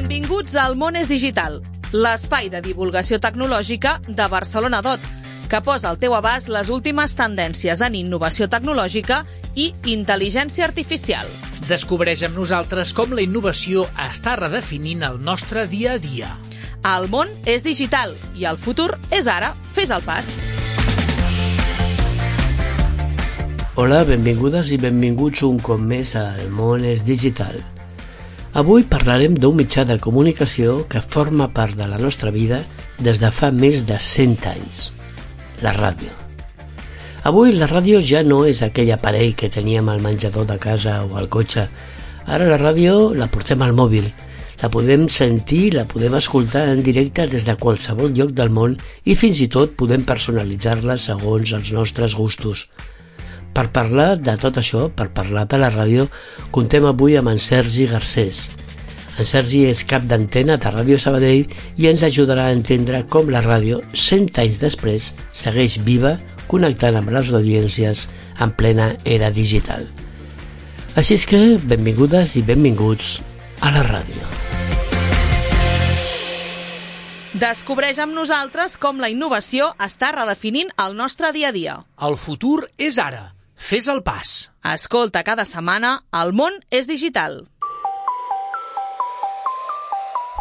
Benvinguts al Món és Digital, l'espai de divulgació tecnològica de Barcelona.dot, que posa al teu abast les últimes tendències en innovació tecnològica i intel·ligència artificial. Descobreix amb nosaltres com la innovació està redefinint el nostre dia a dia. El món és digital i el futur és ara. Fes el pas. Hola, benvingudes i benvinguts un cop més al Món és Digital. Avui parlarem d'un mitjà de comunicació que forma part de la nostra vida des de fa més de 100 anys, la ràdio. Avui la ràdio ja no és aquell aparell que teníem al menjador de casa o al cotxe. Ara la ràdio la portem al mòbil, la podem sentir, la podem escoltar en directe des de qualsevol lloc del món i fins i tot podem personalitzar-la segons els nostres gustos. Per parlar de tot això, per parlar de la ràdio, contem avui amb en Sergi Garcés. En Sergi és cap d'antena de Ràdio Sabadell i ens ajudarà a entendre com la ràdio, 100 anys després, segueix viva, connectant amb les audiències en plena era digital. Així és que, benvingudes i benvinguts a la ràdio. Descobreix amb nosaltres com la innovació està redefinint el nostre dia a dia. El futur és ara. Fes el pas. Escolta cada setmana El món és digital.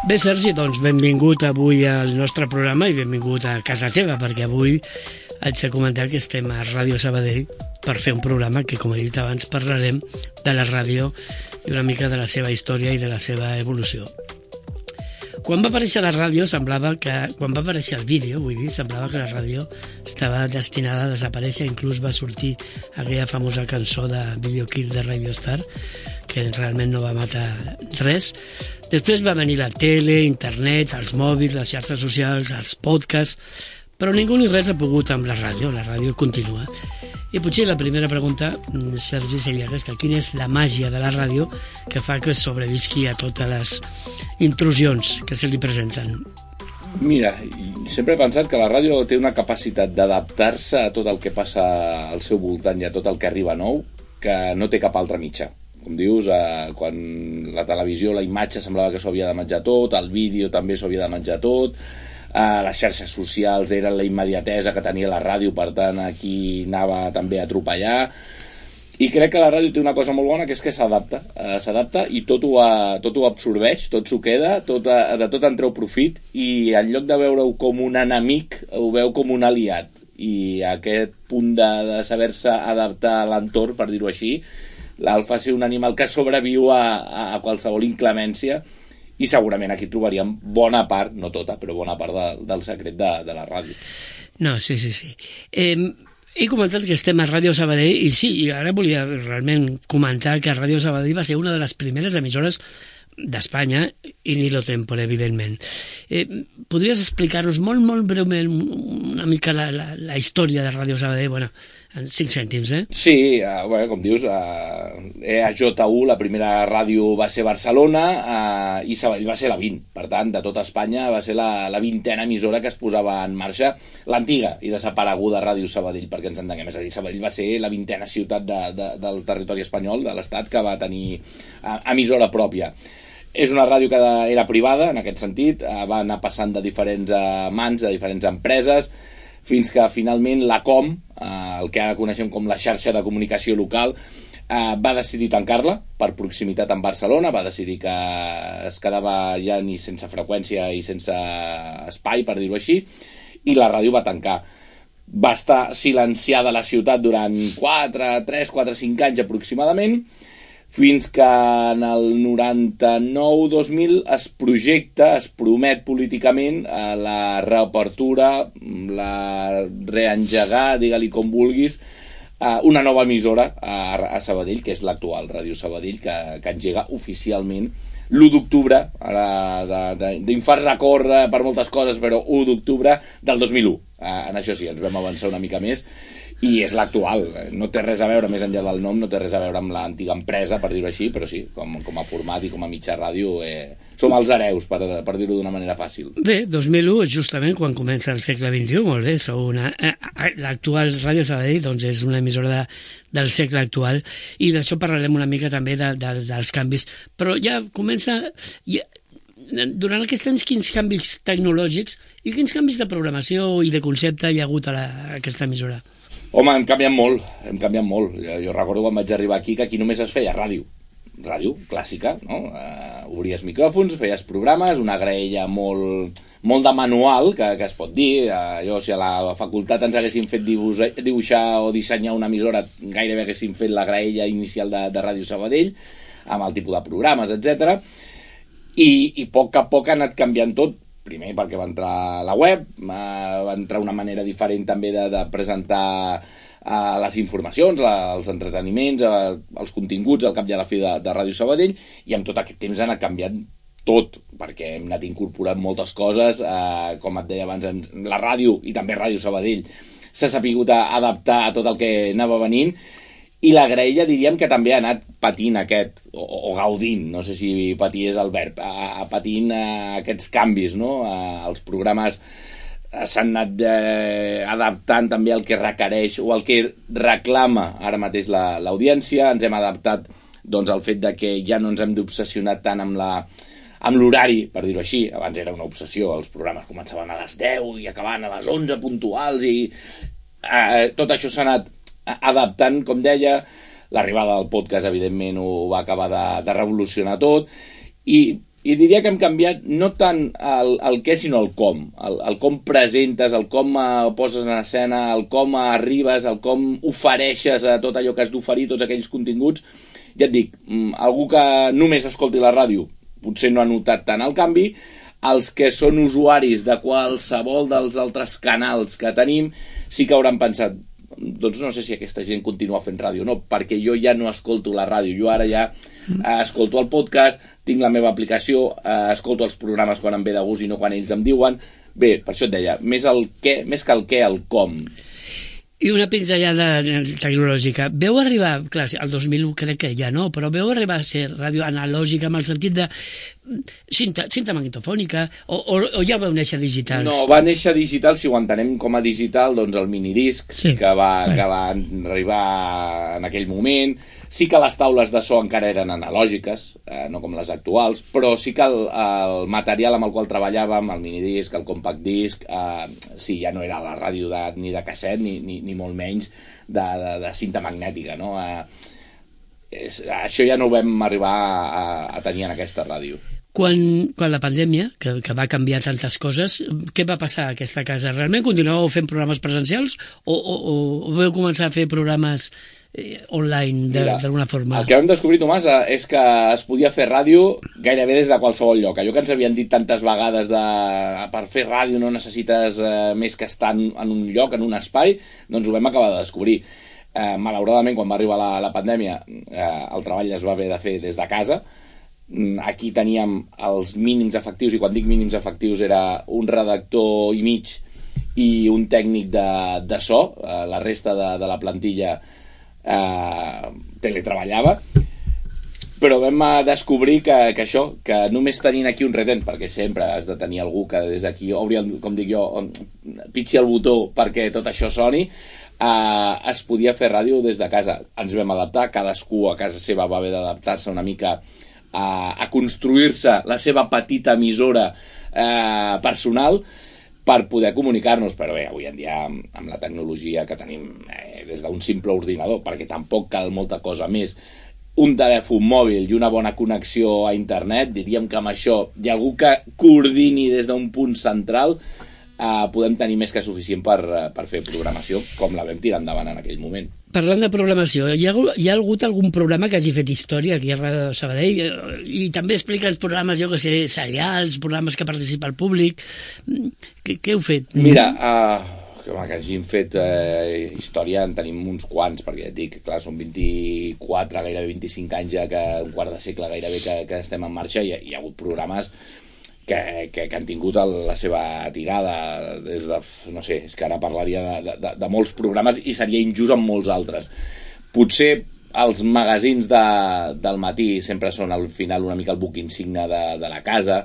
Bé, Sergi, doncs benvingut avui al nostre programa i benvingut a casa teva, perquè avui haig de comentar que estem a Ràdio Sabadell per fer un programa que, com he dit abans, parlarem de la ràdio i una mica de la seva història i de la seva evolució. Quan va aparèixer la ràdio, quan va aparèixer el vídeo, semblava que la ràdio estava destinada a desaparèixer. Inclús va sortir aquella famosa cançó de Video Kill de Radio Star, que realment no va matar res. Després va venir la tele, internet, els mòbils, les xarxes socials, els podcasts, però ningú ni res ha pogut amb la ràdio continua. I potser la primera pregunta, Sergi, seria aquesta: quina és la màgia de la ràdio que fa que sobrevisqui a totes les intrusions que se li presenten? Mira, sempre he pensat que la ràdio té una capacitat d'adaptar-se a tot el que passa al seu voltant i a tot el que arriba nou, que no té cap altre mitjà. Com dius, quan la televisió, la imatge semblava que s'ho havia de menjar tot, el vídeo també s'ho havia de menjar tot, les xarxes socials eren la immediatesa que tenia la ràdio, per tant aquí anava també a atropellar. I crec que la ràdio té una cosa molt bona, que és que s'adapta i tot ho absorbeix, tot s'ho queda, de tot en treu profit, i en lloc de veure-ho com un enemic ho veu com un aliat. I aquest punt de saber-se adaptar a l'entorn, per dir-ho així, el fa ser un animal que sobreviu a qualsevol inclemència. I segurament aquí trobaríem bona part, no tota, però bona part del secret de la ràdio. No, sí. He comentat que estem a Ràdio Sabadell i sí, ara volia realment comentar que Ràdio Sabadell va ser una de les primeres emissores d'Espanya i ni lo tempore, evidentment. Podries explicar-nos molt breument una mica la història de Ràdio Sabadell? Bueno, en 5 cèntims, Sí, com dius, EAJ1, la primera ràdio va ser Barcelona, i Sabadell va ser la 20. Per tant, de tota Espanya va ser la 20a emissora que es posava en marxa, l'antiga i desapareguda Ràdio Sabadell, perquè ens entenguem. És a dir, Sabadell va ser la 20a ciutat del territori espanyol, de l'Estat, que va tenir emissora pròpia. És una ràdio que era privada, en aquest sentit, va anar passant de diferents mans, de diferents empreses, fins que finalment la COM, el que ara coneixem com la xarxa de comunicació local, va decidir tancar-la per proximitat amb Barcelona, va decidir que es quedava ja ni sense freqüència i sense espai, per dir-ho així, i la ràdio va tancar. Va estar silenciada a la ciutat durant 3, 4, 5 anys aproximadament, fins que en el 99-2000 es projecta, es promet políticament la reapertura, la reengegar, digue-li com vulguis, una nova emissora a Sabadell, que és l'actual Ràdio Sabadell, que engega oficialment l'1 d'octubre, d'infart record per moltes coses, però 1 d'octubre del 2001. En això sí, ens vam avançar una mica més, i és l'actual. No té res a veure, més enllà del nom, no té res a veure amb l'antiga empresa, per dir-ho així, però sí, com a format i com a mitjà ràdio, som els hereus, per dir-ho d'una manera fàcil. Bé, 2001 és justament quan comença el segle XXI, molt bé, l'actual Ràdio Sabadell doncs és una emissora del segle actual, i d'això parlarem una mica també dels canvis, però ja comença... durant aquest temps, quins canvis tecnològics i quins canvis de programació i de concepte hi ha hagut a aquesta emissora? Home, hem canviat molt, Jo recordo quan vaig arribar aquí que aquí només es feia ràdio clàssica, no? Obries micròfons, feies programes, una graella molt de manual, que es pot dir. Si a la facultat ens haguessin fet dibuixar o dissenyar una emissora, gairebé haguessin fet la graella inicial de Ràdio Sabadell, amb el tipus de programes, etc. I a poc ha anat canviant tot. Primer perquè va entrar la web, va entrar una manera diferent també de presentar les informacions, els entreteniments, els continguts al cap i a la fi de Ràdio Sabadell, i amb tot aquest temps ha anat canviant tot, perquè hem anat incorporant moltes coses, com et deia abans, la ràdio i també Ràdio Sabadell s'ha sapigut adaptar a tot el que anava venint, i la graella diríem que també ha anat patint o gaudint, no sé si patir és el verb, patint aquests canvis, no? Els programes s'han anat adaptant també al que requereix o al que reclama ara mateix l'audiència. Ens hem adaptat al fet de que ja no ens hem d'obsessionar tant amb l'horari, per dir-ho així. Abans era una obsessió, els programes començaven a les 10 i acabaven a les 11 puntuals, i tot això s'ha anat adaptant, com deia. L'arribada del podcast, evidentment, ho va acabar de revolucionar tot, i diria que hem canviat no tant el què, sinó el com. El com presentes, el com poses en escena, el com arribes, el com ofereixes a tot allò que has d'oferir, tots aquells continguts. Ja et dic, algú que només escolti la ràdio potser no ha notat tant el canvi. Els que són usuaris de qualsevol dels altres canals que tenim sí que hauran pensat, doncs no sé si aquesta gent continua fent ràdio o no, perquè jo ja no escolto la ràdio, jo ara ja escolto el podcast, tinc la meva aplicació, escolto els programes quan em ve de gust i no quan ells em diuen. Bé, per això et deia, més que el què, el com. I una pinzellada tecnològica. Veu arribar, clar, el 2001 crec que ja no, però veu arribar a ser ràdio analògica en el sentit de cinta magnetofònica, o ja vau néixer digitals? No, va néixer digital, si ho entenem com a digital, doncs el minidisc, sí, que va arribar en aquell moment. Sí que les taules de so encara eren analògiques, no com les actuals, però sí que el material amb el qual treballàvem, el minidisc, el compact disc, sí, ja no era la ràdio ni de casset, ni molt menys de cinta magnètica, no? Això ja no ho vam arribar a tenir en aquesta ràdio. Quan la pandèmia, que va canviar tantes coses, què va passar a aquesta casa? Realment continuàveu fent programes presencials o vau començar a fer programes online d'alguna forma? El que vam descobrir, Tomàs, és que es podia fer ràdio gairebé des de qualsevol lloc. Allò que ens havien dit tantes vegades per fer ràdio no necessites més que estar en un lloc, en un espai, doncs ho vam acabar de descobrir. Malauradament, quan va arribar la pandèmia, el treball es va haver de fer des de casa. Aquí teníem els mínims efectius, i quan dic mínims efectius era un redactor i mig i un tècnic de so. La resta de la plantilla teletreballava, però vam descobrir que només tenint aquí un retent, perquè sempre has de tenir algú que des d'aquí obri, com dic jo, pitxi el botó perquè tot això soni, es podia fer ràdio des de casa. Ens vam adaptar, cadascú a casa seva va haver d'adaptar-se una mica a construir-se la seva petita emissora personal per poder comunicar-nos. Però bé, avui en dia amb la tecnologia que tenim, des d'un simple ordinador, perquè tampoc cal molta cosa més, un telèfon mòbil i una bona connexió a internet, diríem que amb això hi ha algú que coordini des d'un punt central, podem tenir més que suficient per fer programació, com la vam tirar endavant en aquell moment. Parlant de programació, hi ha hagut algun programa que hagi fet història aquí a Ràdio Sabadell? I també explica els programes, jo que sé, serials, programes que participa el públic. Què heu fet? Mira, que hagin fet història en tenim uns quants, perquè ja et dic, clar, són 24, gairebé 25 anys ja, que un quart de segle gairebé que estem en marxa, i hi ha hagut programes que han tingut la seva tirada des de, no sé, és que ara parlaria de molts programes i seria injust amb molts altres. Potser els magazins del matí sempre són al final una mica el buc insigne de la casa,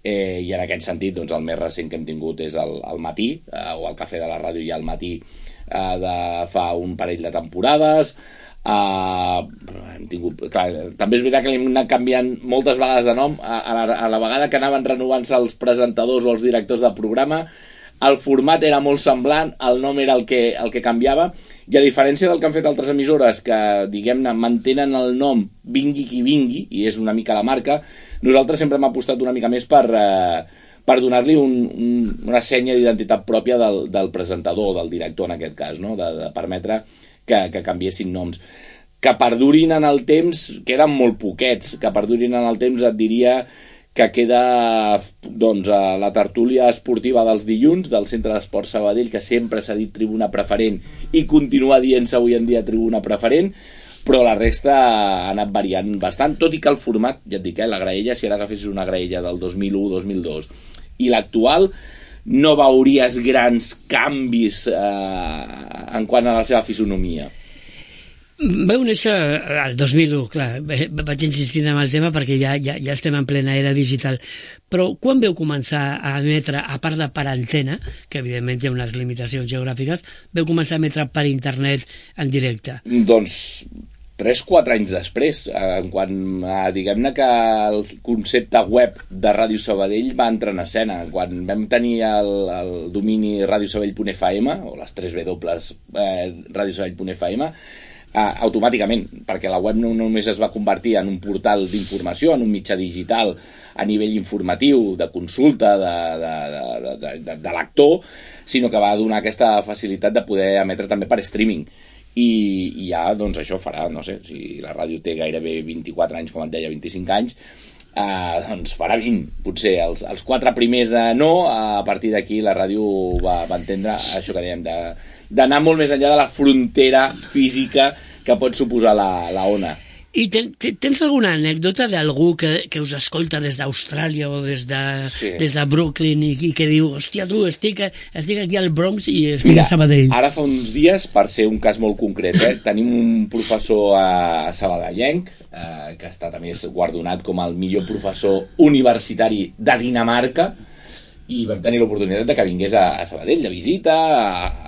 i en aquest sentit doncs, el més recent que hem tingut és el matí, o el Cafè de la Ràdio ja al matí de fa un parell de temporades. hem tingut, clar, també és veritat que li hem anat canviant moltes vegades de nom a la vegada que anaven renovant-se els presentadors o els directors del programa. El format era molt semblant, el nom era el que canviava, i a diferència del que han fet altres emissores que, diguem-ne, mantenen el nom vingui qui vingui, i és una mica la marca, nosaltres sempre hem apostat una mica més per donar-li una senya d'identitat pròpia del presentador, del director en aquest cas, no? De permetre que canviessin noms. Que perdurin en el temps, queden molt poquets, que perdurin en el temps et diria que queda doncs, la tertúlia esportiva dels dilluns del Centre d'Esport Sabadell, que sempre s'ha dit tribuna preferent i continua dient-se avui en dia tribuna preferent, però la resta ha anat variant bastant, tot i que el format, ja et dic, la graella, si ara agafessis una graella del 2001-2002 i l'actual, no veuries grans canvis en quant a la seva fisonomia. Vau néixer al 2001, clar, vaig insistint en el tema perquè ja estem en plena era digital, però quan veu començar a emetre, a part de per antena, que evidentment hi ha unes limitacions geogràfiques, veu començar a emetre per internet en directe? Doncs 3-4 anys després, quan diguem-ne que el concepte web de Ràdio Sabadell va entrar en escena, quan vam tenir el domini radiosabadell.fm o les 3 W radiosabadell.fm, automàticament, perquè la web no només es va convertir en un portal d'informació, en un mitjà digital a nivell informatiu, de consulta, de lector, sinó que va donar aquesta facilitat de poder emetre també per streaming. I ja, doncs això farà, no sé, si la ràdio té gairebé 24 anys, com et deia, 25 anys, doncs farà 20, potser. Els 4 primers no, a partir d'aquí la ràdio va entendre això que dèiem, d'anar molt més enllà de la frontera física que pot suposar la ona. I tens alguna anècdota d'algú que us escolta des d'Austràlia o des de Brooklyn i que diu, hòstia, tu, estic aquí al Bronx i estic a Sabadell? Ara fa uns dies, per ser un cas molt concret, tenim un professor sabadellenc que està també guardonat com el millor professor universitari de Dinamarca, i vam tenir l'oportunitat de que vingués a Sabadell de visita,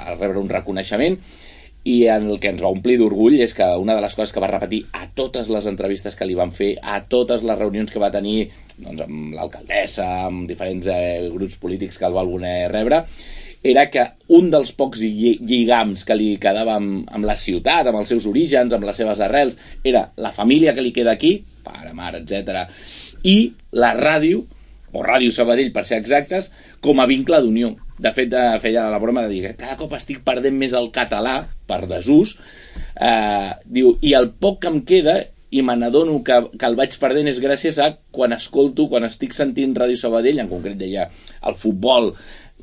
a rebre un reconeixement, i el que ens va omplir d'orgull és que una de les coses que va repetir a totes les entrevistes que li van fer, a totes les reunions que va tenir doncs, amb l'alcaldessa, amb diferents grups polítics que el va voler rebre, era que un dels pocs lligams que li quedava amb la ciutat, amb els seus orígens, amb les seves arrels, era la família que li queda aquí, pare, mare, etc., i la ràdio, o Ràdio Sabadell per ser exactes, com a vincle d'unió. De fet, feia la broma de dir que cada cop estic perdent més el català per desús, diu, i el poc que em queda, i me n'adono que el vaig perdent és gràcies a quan estic sentint Ràdio Sabadell, en concret deia el futbol,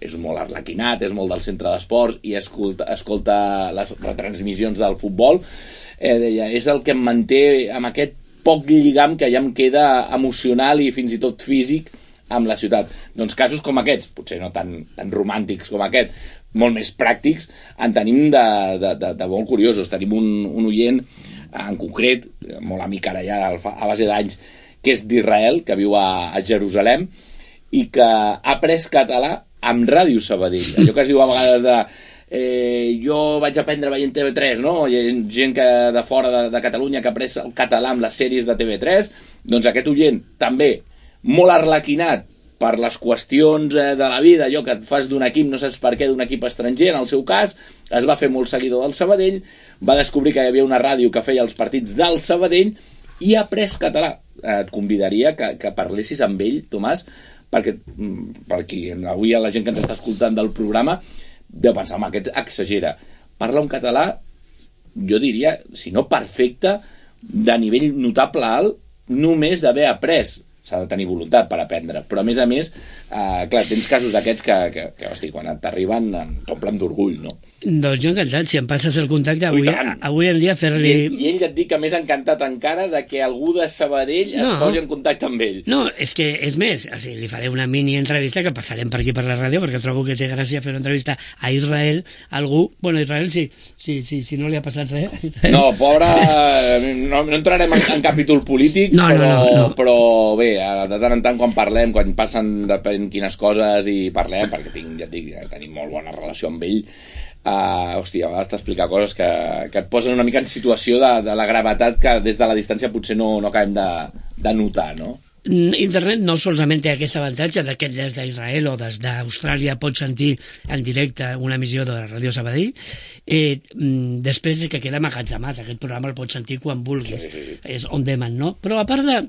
és molt arlequinat, és molt del centre d'esports, i escolta les retransmissions del futbol, deia, és el que em manté amb aquest poc lligam que ja em queda emocional i fins i tot físic amb la ciutat. Doncs casos com aquests, potser no tan romàntics com aquest, molt més pràctics, en tenim de molt curiosos. Tenim un oient en concret, molt amic ara ja a base d'anys, que és d'Israel, que viu a Jerusalem, i que ha après català amb Ràdio Sabadell. Allò que es diu a vegades jo vaig aprendre veient TV3, no? Hi ha gent de fora de Catalunya que ha après el català amb les sèries de TV3, doncs aquest oient també molt arlequinat per les qüestions de la vida, allò que et fas d'un equip, no saps per què, d'un equip estranger, en el seu cas, es va fer molt seguidor del Sabadell, va descobrir que hi havia una ràdio que feia els partits del Sabadell i ha après català. Et convidaria que parlessis amb ell, Tomàs, perquè avui la gent que ens està escoltant del programa deu pensar, home, aquest exagera. Parla un català, jo diria, si no perfecte, de nivell notable alt, només d'haver après. S'ha de tenir voluntat per aprendre, però a més, clar, tens casos d'aquests que hosti, quan t'arriben t'omplen d'orgull, no? Doncs jo encantat, si em passes el contacte avui en dia fer-li... I ell et dic que més encantat encara de que algú de Sabadell es posi en contacte amb ell. No, és que és més, o sigui, li faré una mini entrevista que passarem per aquí per la ràdio, perquè trobo que té gràcia fer una entrevista a Israel, algú, bueno, Israel si no li ha passat res. No, pobre, no entrarem en capítol polític, però bé, de tant en tant quan parlem, quan passen depèn quines coses i parlem, perquè ja et dic, tenim molt bona relació amb ell, hòstia, a vegades t'explica coses que et posen una mica en situació de la gravetat que des de la distància potser no acabem de notar, no? Internet no solament té aquest avantatge que des d'Israel o des d'Austràlia pots sentir en directe una emissió de la Ràdio Sabadell, després que queda magatzemat, aquest programa el pots sentir quan vulguis, sí. És on demand, no? Però a part de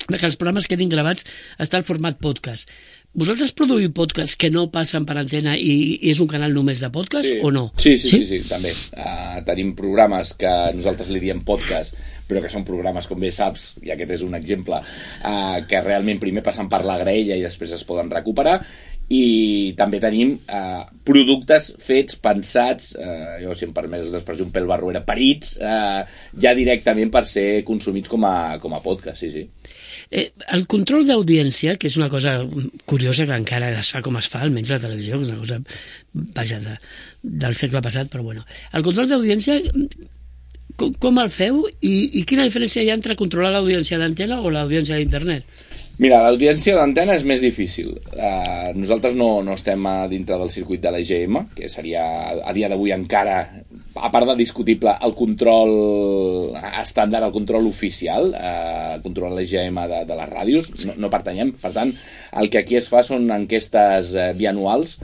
que els programes quedin gravats està el format podcast. Vosaltres produïu podcasts que no passen per antena i és un canal només de podcast, o no? Sí, també. Tenim programes que nosaltres li diem podcast, però que són programes, com bé saps, i aquest és un exemple, que realment primer passen per la graella i després es poden recuperar, i també tenim productes fets, pensats, jo si em permets l'expressió un pèl barruera, parits, ja directament per ser consumits com a podcast, sí. El control d'audiència, que és una cosa curiosa que encara es fa com es fa, almenys la televisió, que és una cosa, vaja, del segle passat, però bueno. El control d'audiència, com el feu i quina diferència hi ha entre controlar l'audiència d'antena o l'audiència d'internet? Mira, l'audiència d'antena és més difícil. Nosaltres no estem dintre del circuit de l'EGM, que seria a dia d'avui encara, a part de discutible, el control estàndard, el control oficial, controlar l'EGM de les ràdios, no pertanyem. Per tant, el que aquí es fa són enquestes bianuals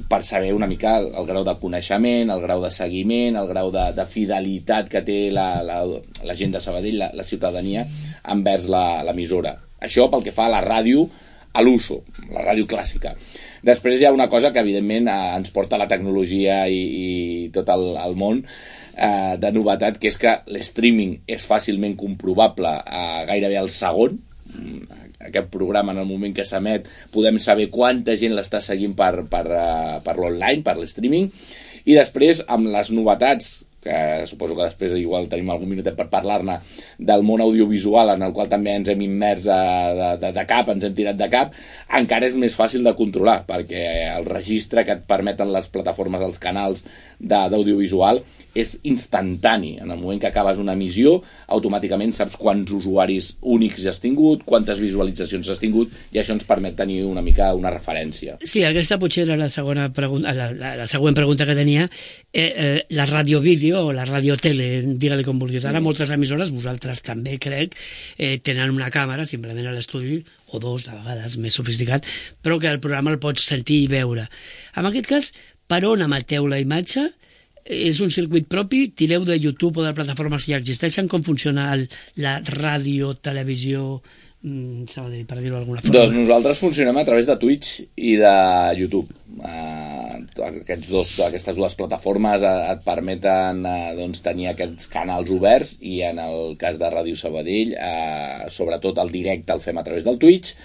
per saber una mica el grau de coneixement, el grau de seguiment, el grau de fidelitat que té la gent de Sabadell, la ciutadania, envers l'emissora. Això pel que fa a la ràdio, a l'uso, la ràdio clàssica. Després hi ha una cosa que evidentment ens porta la tecnologia i tot el món de novetat, que és que l'streaming és fàcilment comprovable gairebé al segon. Aquest programa, en el moment que s'emet, podem saber quanta gent l'està seguint per l'online, per l'streaming, i després, amb les novetats, que suposo que després igual tenim algun minutet per parlar-ne, del món audiovisual, en el qual també ens hem immers de cap, ens hem tirat de cap, encara és més fàcil de controlar, perquè el registre que et permeten les plataformes, els canals d'audiovisual, és instantani. En el moment que acabes una emissió, automàticament saps quants usuaris únics has tingut, quantes visualitzacions has tingut, i això ens permet tenir una mica una referència. Sí, aquesta potser era la següent pregunta que tenia. La ràdio-vídeo o la ràdio-tele, digue-li com vulguis. Ara moltes emissores, vosaltres també crec, tenen una càmera simplement a l'estudi, o dos, de vegades més sofisticat, però que el programa el pots sentir i veure. En aquest cas, per on emeteu la imatge? És un circuit propi? Tireu de YouTube o de plataformes que ja existeixen? Com funciona la ràdio, televisió, per dir-ho d'alguna forma? Doncs nosaltres funcionem a través de Twitch i de YouTube. Aquestes dues plataformes et permeten tenir aquests canals oberts, i en el cas de Ràdio Sabadell, sobretot el directe el fem a través del Twitch.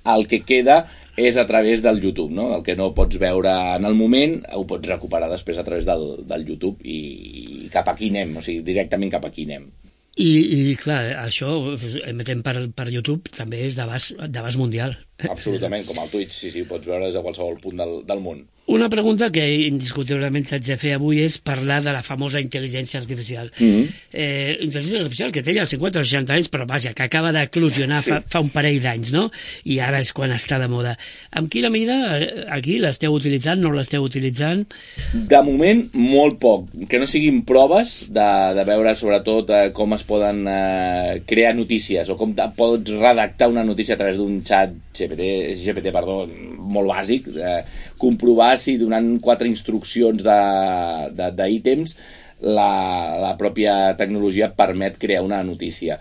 El que queda és a través del YouTube, no? El que no pots veure en el moment ho pots recuperar després a través del YouTube, i cap aquí anem, o sigui, directament cap aquí anem. I clar, això emetem per YouTube també és d'abast mundial. Absolutament, com el Twitch, sí, ho pots veure des de qualsevol punt del món. Una pregunta que indiscutiblement t'haig de fer avui és parlar de la famosa intel·ligència artificial. Intel·ligència artificial que té ja 50 o 60 anys, però vaja, que acaba d'eclosionar fa un parell d'anys, no? I ara és quan està de moda. Amb quina mida aquí l'esteu utilitzant, no l'esteu utilitzant? De moment, molt poc. Que no siguin proves de veure sobretot com es poden crear notícies, o com pots redactar una notícia a través d'un xat GPT, molt bàsic, comprovar si donant 4 instruccions d'ítems la pròpia tecnologia permet crear una notícia.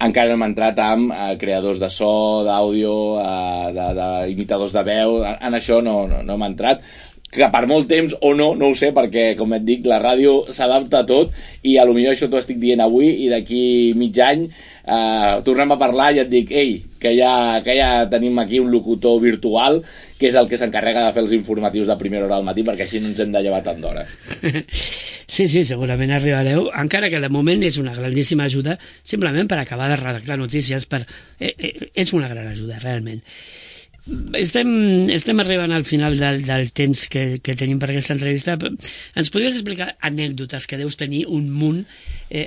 Encara no hem entrat amb creadors de so, d'àudio, d'imitadors de veu, en això no hem entrat, que per molt temps o no ho sé, perquè, com et dic, la ràdio s'adapta a tot, i a lo millor això t'ho estic dient avui, i d'aquí mig any tornem a parlar i et dic, que ja tenim aquí un locutor virtual que és el que s'encarrega de fer els informatius de primera hora al matí, perquè així no ens hem de llevar tant d'hora. Sí, segurament arribareu, encara que de moment és una grandíssima ajuda, simplement per acabar de redactar notícies, és una gran ajuda, realment. Estem arribant al final del temps que tenim per aquesta entrevista. Ens podries explicar anècdotes que deus tenir un munt,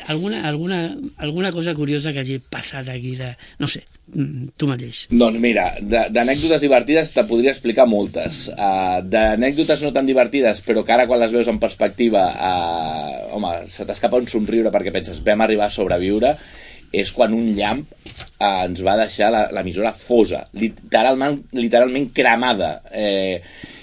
alguna cosa curiosa que hagi passat aquí, no sé, tu mateix? Doncs mira, d'anècdotes divertides te podria explicar moltes. D'anècdotes no tan divertides, però que ara quan les veus en perspectiva, home, se t'escapa un somriure perquè penses, vam arribar a sobreviure, és quan un llamp ens va deixar l'emissora fosa, literalment cremada.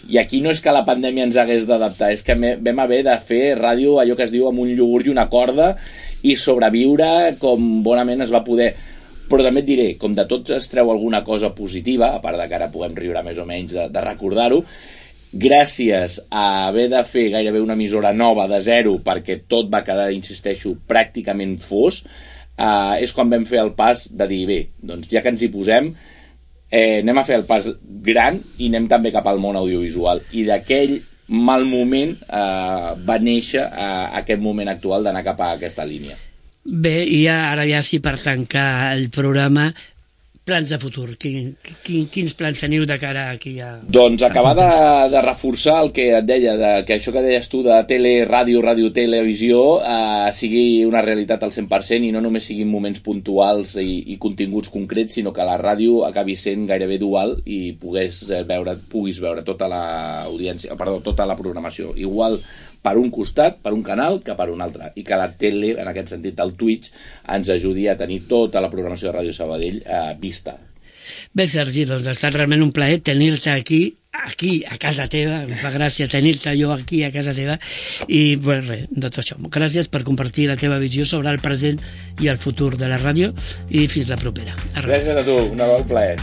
I aquí no és que la pandèmia ens hagués d'adaptar, és que vam haver de fer ràdio, allò que es diu amb un iogurt i una corda, i sobreviure com bonament es va poder. Però també et diré, com de tots es treu alguna cosa positiva, a part de que ara puguem riure més o menys de recordar-ho, gràcies a haver de fer gairebé una emissora nova de zero, perquè tot va quedar, insisteixo, pràcticament fos, és quan vam fer el pas de dir, bé, doncs ja que ens hi posem, anem a fer el pas gran i anem també cap al món audiovisual. I d'aquell mal moment va néixer aquest moment actual d'anar cap a aquesta línia. Bé, i ara ja sí, per tancar el programa, plans de futur. Quins plans teniu de cara aquí a... Doncs acabar de reforçar el que et deia, que això que deies tu de tele, ràdio, televisió, sigui una realitat al 100% i no només siguin moments puntuals i continguts concrets, sinó que la ràdio acabi sent gairebé dual i puguis veure tota la programació. Igual per un costat, per un canal, que per un altre. I que la tele, en aquest sentit, el Twitch, ens ajudi a tenir tota la programació de Ràdio Sabadell vista. Bé, Sergi, doncs ha estat realment un plaer tenir-te aquí, a casa teva. Em fa gràcia tenir-te jo aquí, a casa teva. I, bé, res, de tot això. Gràcies per compartir la teva visió sobre el present i el futur de la ràdio i fins la propera. Gràcies a tu, un plaer.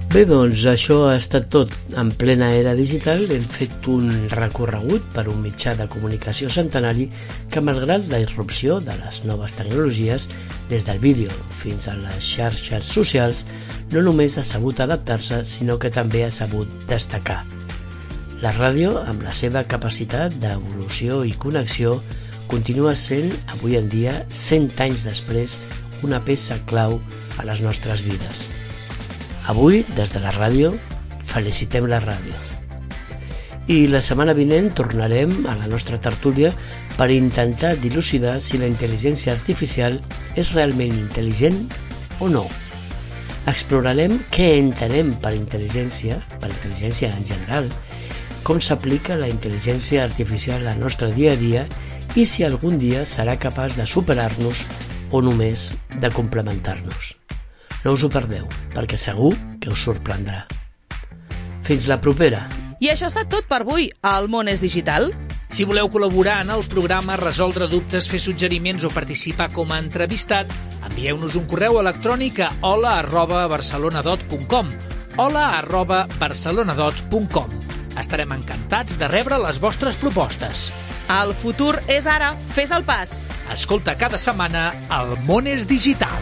Bé, doncs això ha estat tot. En plena era digital hem fet un recorregut per un mitjà de comunicació centenari que, malgrat la irrupció de les noves tecnologies, des del vídeo fins a les xarxes socials, no només ha sabut adaptar-se, sinó que també ha sabut destacar. La ràdio, amb la seva capacitat d'evolució i connexió, continua sent, avui en dia, 100 anys després, una peça clau a les nostres vides. Avui, des de la ràdio, felicitem la ràdio. I la setmana vinent tornarem a la nostra tertúlia per intentar dilucidar si la intel·ligència artificial és realment intel·ligent o no. Explorarem què entenem per intel·ligència en general, com s'aplica la intel·ligència artificial al nostre dia a dia i si algun dia serà capaç de superar-nos o només de complementar-nos. No us ho perdeu, perquè segur que us sorprendrà. Fins la propera. I això ha estat tot per avui. El món és digital. Si voleu col·laborar en el programa, resoldre dubtes, fer suggeriments o participar com a entrevistat, envieu-nos un correu electrònic a hola@barcelonadot.com hola@barcelonadot.com. Estarem encantats de rebre les vostres propostes. El futur és ara. Fes el pas. Escolta cada setmana El món és digital.